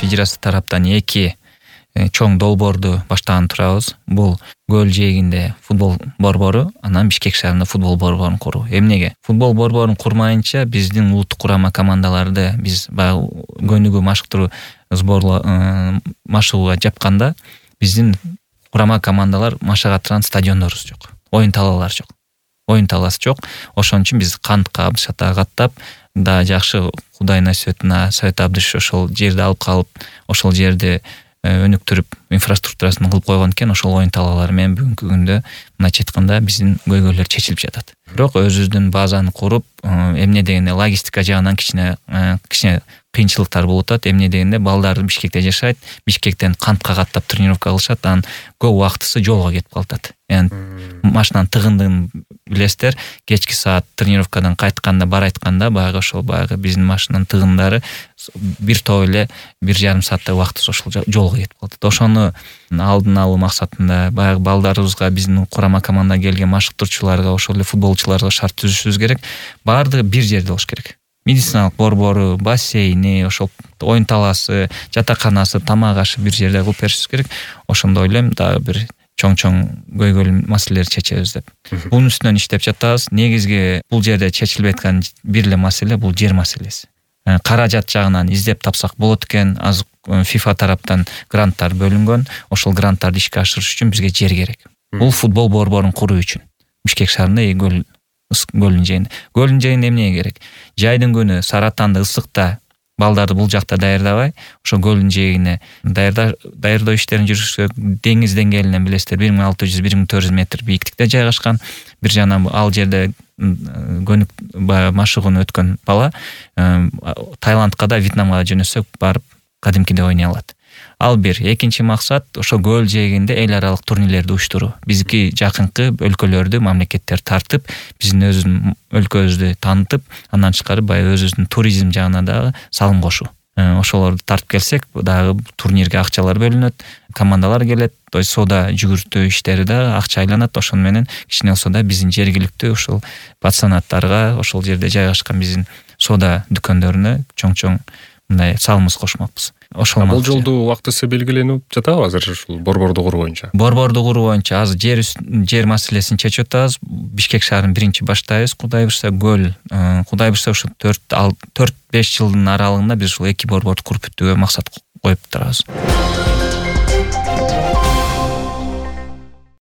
федерация тараптан 2 чоң долбоорду баштаган турабыз. Бул Көл жээгинде футбол борбору, анан Бишкек шаарында футбол борборун куруу. Эмнеге? Футбол борборун курмайынча биздин улуттук курама командаларды биз баягы көнүгүү машыктыруу машыгууга жапканда биздин курама командалар машыга турган стадиондорубуз жок. Оюн талаалары жок. Оюн талаасы жок. Ошон үчүн биз кантка, шата каттап, да жакшы Кудай насыйбатына Совет Абдыш ошол жерди алып калып, ошол жерди өнүктүрүп, инфраструктурасын кылып койгон экен. Ошол оюн талаалары менен бүгүнкү күндө мындайча айтканда биздин көйгөйлөр чечилип жатат. Бирок өзүбүздүн базаны куруп, эмне дегенде логистика жагынан кичине кыйынчылыктар болуп атат. Эмне дегенде балдар Бишкекте жашайт, Бишкектен кантка каттап тренировка кылышат, анан көп убактысы жолго кетип калат. Машинанын тыгындыгын билесиздер, кечки саат тренировкадан кайтканда, бар айтканда баягы ошол баягы биздин машинанын тыгындары бир топ эле 1,5 сааттай убактысы ошол жолго кетип калат. Ошону алдын алуу максатында баягы балдарыбызга, биздин курама командага келген машыктыруучуларга, ошол эле футболчуларга шарт түзүшүбүз керек. Баардыгы бир жерде болуш керек. Медициналык борбору, бассейни, ошол оюн талаасы, жатаканасы, тамак ашы бир жерде кылып беришибиз керек. Ошондо ойлойм, дагы бир чоң көйгөйлүү маселелерди чечебиз деп. Бунун үстүнөн иштеп жатабыз. Негизги бул жерде чечилбей аткан бир эле маселе бул жер маселеси. Каражат жагынан издеп тапсак болот экен. Азыр FIFA тараптан гранттар бөлүнгөн. Ошол гранттарды ишке ашырыш үчүн бизге жер керек. Бул футбол борборун куруу үчүн. Бишкек шаарында Көлдүн жээгинде. Көлдүн жээгинде эмне керек? Жайдын күнү Саратанда ысыкта балдарды бул жакта даярдабай, ошо Көлдүн жээгине даярдоо иштерин жүргүзсө, деңиз деңгээлинен билесиздер 1600-1400 метр бийиктикте жайгашкан. Бир жана ал жерде машыгууну өткөн бала Таиландка да, Вьетнамга да жөнөсөк барып кадимкидей ойной алат. Ал бир. Экинчи максат ошо Көл жээгинде эл аралык турнирлерди уюштуруу. Бизги жакынкы өлкөлөрдү, мамлекеттер тартып, биздин өзүбүздүн өлкөбүздү таанытып, андан тышкары баягы өзүбүздүн туризм жагына дагы салым кошуу. Ошолорду тартып келсек, дагы турнирге акчалар бөлүнөт, командалар келет, соода жүгүртүү иштери да акча айланат. Ошону менен кичине болсо да биздин жергиликтүү ошол пансионаттарга, ошол жерде жайгашкан биздин соода дүкөндөрүнө чоң мындай салымыбыз кошмокпуз. Бул жолду убактысы белгиленип жатабы азыр ушул борборду куруу боюнча? Борборду куруу боюнча азыр жер маселесин чечип атабыз. Бишкек шаарын биринчи баштайбыз. Кудай буйрса Көл, Кудай буйрса ушу 4-5 жылдын аралыгында биз ушул 2 борборду куруп бүттүгө максат коюп турабыз.